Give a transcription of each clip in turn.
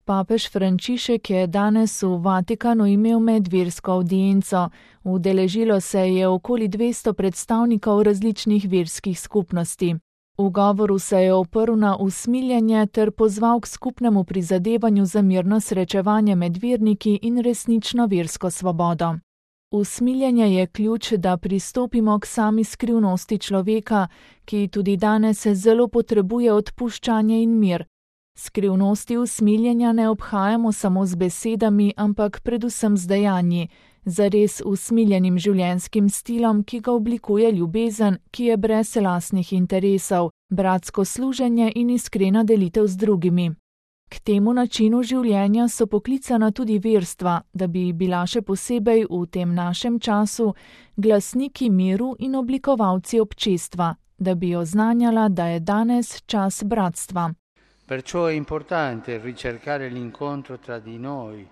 Papež Frančišek je danes v Vatikanu imel medversko avdienco. Udeležilo se je okoli 200 predstavnikov različnih verskih skupnosti. V govoru se je oprl na usmiljenje ter pozval k skupnemu prizadevanju za mirno srečevanje med verniki in resnično versko svobodo. Usmiljenje je ključ, da pristopimo k sami skrivnosti človeka, ki tudi danes zelo potrebuje odpuščanje in mir. Skrivnosti usmiljenja ne obhajamo samo z besedami, ampak predvsem z dejanji, zares usmiljenim življenjskim stilom, ki ga oblikuje ljubezen, ki je brez lastnih interesov, bratsko služenje in iskrena delitev z drugimi. K temu načinu življenja so poklicana tudi verstva, da bi bila še posebej v tem našem času glasniki miru in oblikovalci občestva, da bi oznanjala, da je danes čas bratstva. Perciò è importante ricercare l'incontro tra di noi,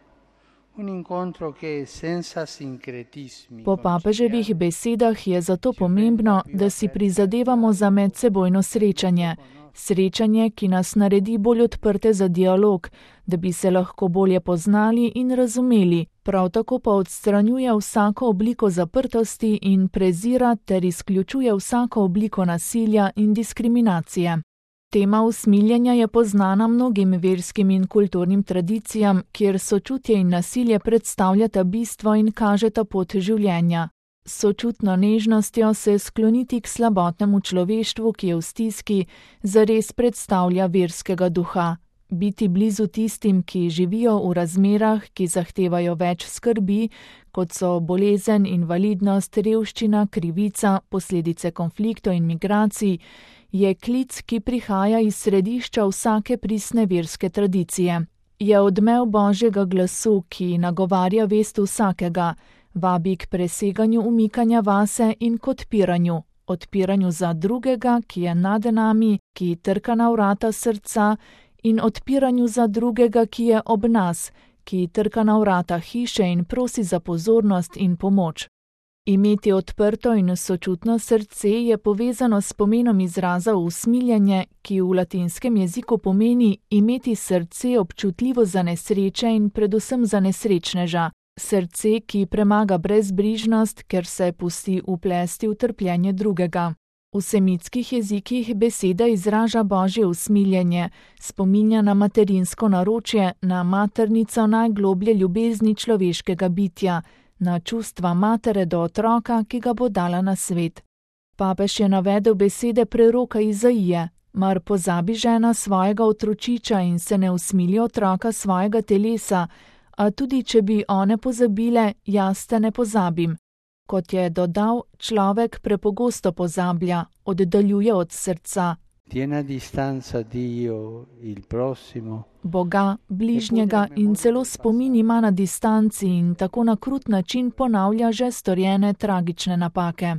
un incontro che senza sincretismi. Po papeževih besedah je zato pomembno, da si prizadevamo za medsebojno srečanje. Srečanje, ki nas naredi bolj odprte za dialog, da bi se lahko bolje poznali in razumeli, prav tako pa odstranjuje vsako obliko zaprtosti in prezira ter izključuje vsako obliko nasilja in diskriminacije. Tema usmiljenja je poznana mnogim verskim in kulturnim tradicijam, kjer sočutje in nasilje predstavljata bistvo in kažeta pot življenja. Sočutno nežnostjo se skloniti k slabotnemu človeštvu, ki je v stiski, zares predstavlja verskega duha. Biti blizu tistim, ki živijo v razmerah, ki zahtevajo več skrbi, kot so bolezen, invalidnost, revščina, krivica, posledice konfliktov in migracij, je klic, ki prihaja iz središča vsake pristne verske tradicije. Je odmev Božjega glasu, ki nagovarja vest vsakega, vabi k preseganju umikanja vase in k odpiranju. Odpiranju za drugega, ki je nad nami, ki trka na vrata srca, in odpiranju za drugega, ki je ob nas, ki trka na vrata hiše in prosi za pozornost in pomoč. Imeti odprto in sočutno srce je povezano s pomenom izraza usmiljenje, ki v latinskem jeziku pomeni imeti srce občutljivo za nesreče in predvsem za nesrečneža. Srce, ki premaga brezbrižnost, ker se pusti uplesti v trpljenje drugega. V semitskih jezikih beseda izraža Božje usmiljenje, spominja na materinsko naročje, na maternico najgloblje ljubezni človeškega bitja, na čustva matere do otroka, ki ga bo dala na svet. Papež je navedel besede preroka Izaije: mar pozabi žena svojega otročiča in se ne usmili otroka svojega telesa, a tudi če bi one pozabile, jaz te ne pozabim. Kot je dodal, človek prepogosto pozablja, oddaljuje od srca. Tiene a distanza Dio, il prossimo. Boga, bližnjega in celo spomin ima na distanci in tako na krut način ponavlja že storjene tragične napake.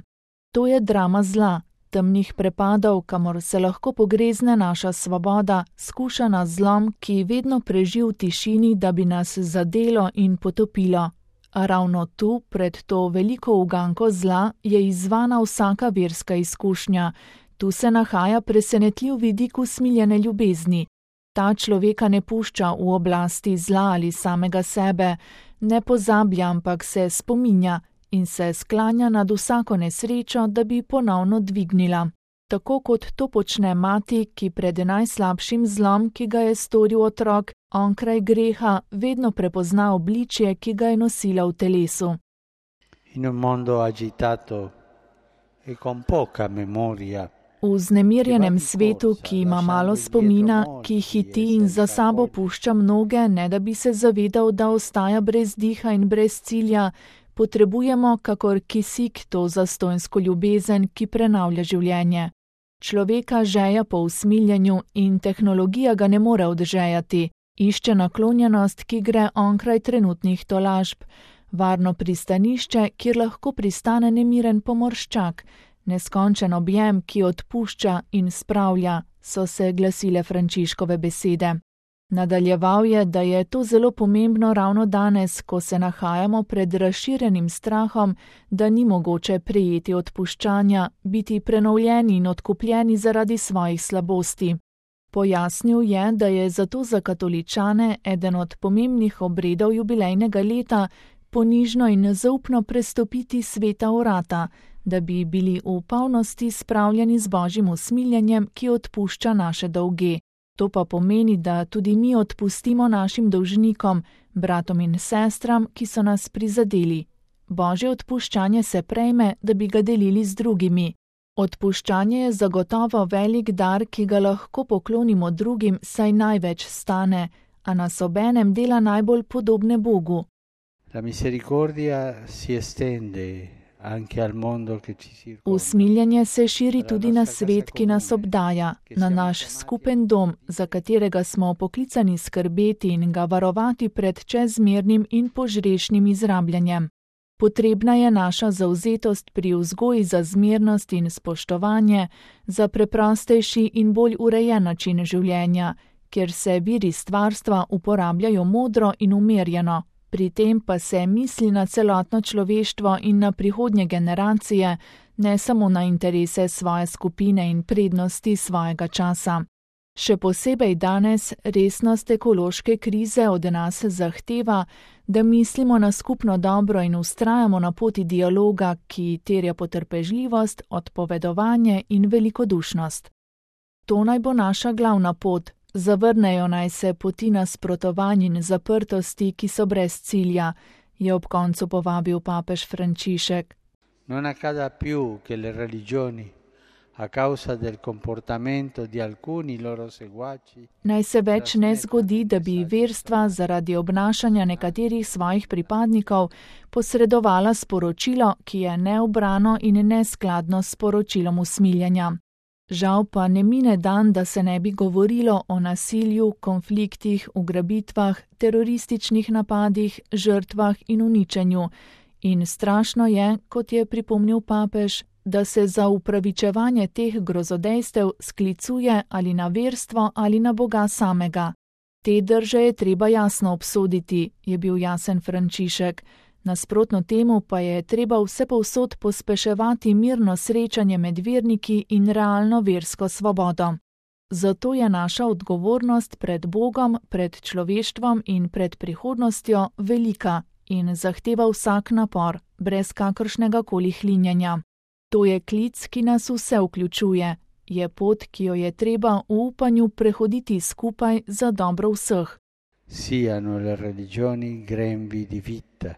To je drama zla, temnih prepadov, kamor se lahko pogrezne naša svoboda, skušana zlom, ki vedno preži v tišini, da bi nas zadelo in potopilo. A ravno tu, pred to veliko uganko zla, je izzvana vsaka verska izkušnja. Tu se nahaja presenetljiv vidik usmiljene ljubezni. Ta človeka ne pušča v oblasti zla ali samega sebe, ne pozablja, ampak se spominja in se sklanja nad vsako nesrečo, da bi ponovno dvignila. Tako kot to počne mati, ki pred najslabšim zlom, ki ga je storil otrok, onkraj greha, vedno prepozna obličje, ki ga je nosila v telesu. In un mondo agitato e con poca memoria. V vznemirjenem svetu, ki ima malo spomina, ki hiti in za sabo pušča mnoge, ne da bi se zavedal, da ostaja brez diha in brez cilja, potrebujemo kakor kisik to zastonjsko ljubezen, ki prenavlja življenje. Človeka žeja po usmiljenju in tehnologija ga ne more odžejati. Išče naklonjenost, ki gre onkraj trenutnih tolažb, varno pristanišče, kjer lahko pristane nemiren pomorščak, neskončen objem, ki odpušča in spravlja, so se glasile Frančiškove besede. Nadaljeval je, da je to zelo pomembno ravno danes, ko se nahajamo pred razširjenim strahom, da ni mogoče prejeti odpuščanja, biti prenovljeni in odkupljeni zaradi svojih slabosti. Pojasnil je, da je zato za katoličane eden od pomembnih obredov jubilejnega leta ponižno in nezaupno prestopiti sveta vrata, da bi bili v polnosti spravljeni z Božjim usmiljenjem, ki odpušča naše dolge. To pa pomeni, da tudi mi odpustimo našim dolžnikom, bratom in sestram, ki so nas prizadeli. Božje odpuščanje se prejme, da bi ga delili z drugimi. Odpuščanje je zagotovo velik dar, ki ga lahko poklonimo drugim, saj največ stane, a nas obenem dela najbolj podobne Bogu. La misericordia si estende anche al mondo che ci circonda. Usmiljenje se širi tudi na svet, ki nas obdaja, na naš skupen dom, za katerega smo poklicani skrbeti in ga varovati pred čezmernim in požrešnim izrabljanjem. Potrebna je naša zavzetost pri vzgoji za zmernost in spoštovanje, za preprostejši in bolj urejen način življenja, kjer se viri stvarstva uporabljajo modro in umirjeno. Pri tem pa se misli na celotno človeštvo in na prihodnje generacije, ne samo na interese svoje skupine in prednosti svojega časa. Še posebej danes resnost ekološke krize od nas zahteva, da mislimo na skupno dobro in vztrajamo na poti dialoga, ki terja potrpežljivost, odpovedovanje in velikodušnost. To naj bo naša glavna pot. Zavrnejo naj se poti nasprotovanj in zaprtosti, ki so brez cilja, je ob koncu povabil papež Frančišek. Non accada più che le religioni, a causa del comportamento di alcuni loro seguaci, Naj se več ne zgodi, da bi verstva zaradi obnašanja nekaterih svojih pripadnikov posredovala sporočilo, ki je neubrano in neskladno s sporočilom usmiljenja. Žal pa ne mine dan, da se ne bi govorilo o nasilju, konfliktih, ugrabitvah, terorističnih napadih, žrtvah in uničenju. In strašno je, kot je pripomnil papež, da se za upravičevanje teh grozodejstev sklicuje ali na verstvo ali na Boga samega. Te drže je treba jasno obsoditi, je bil jasen Frančišek. Nasprotno temu pa je treba vsepovsod pospeševati mirno srečanje med verniki in realno versko svobodo. Zato je naša odgovornost pred Bogom, pred človeštvom in pred prihodnostjo velika in zahteva vsak napor, brez kakršnega koli hlinjanja. To je klic, ki nas vse vključuje, je pot, ki jo je treba v upanju prehoditi skupaj za dobro vseh. Siano le religioni grembi di vita.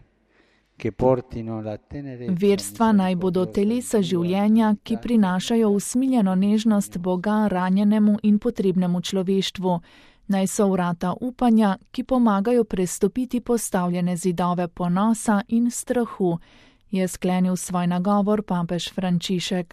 Verstva naj bodo telesa življenja, ki prinašajo usmiljeno nežnost Boga ranjenemu in potrebnemu človeštvu. Naj so vrata upanja, ki pomagajo prestopiti postavljene zidove ponosa in strahu, je sklenil svoj nagovor papež Frančišek.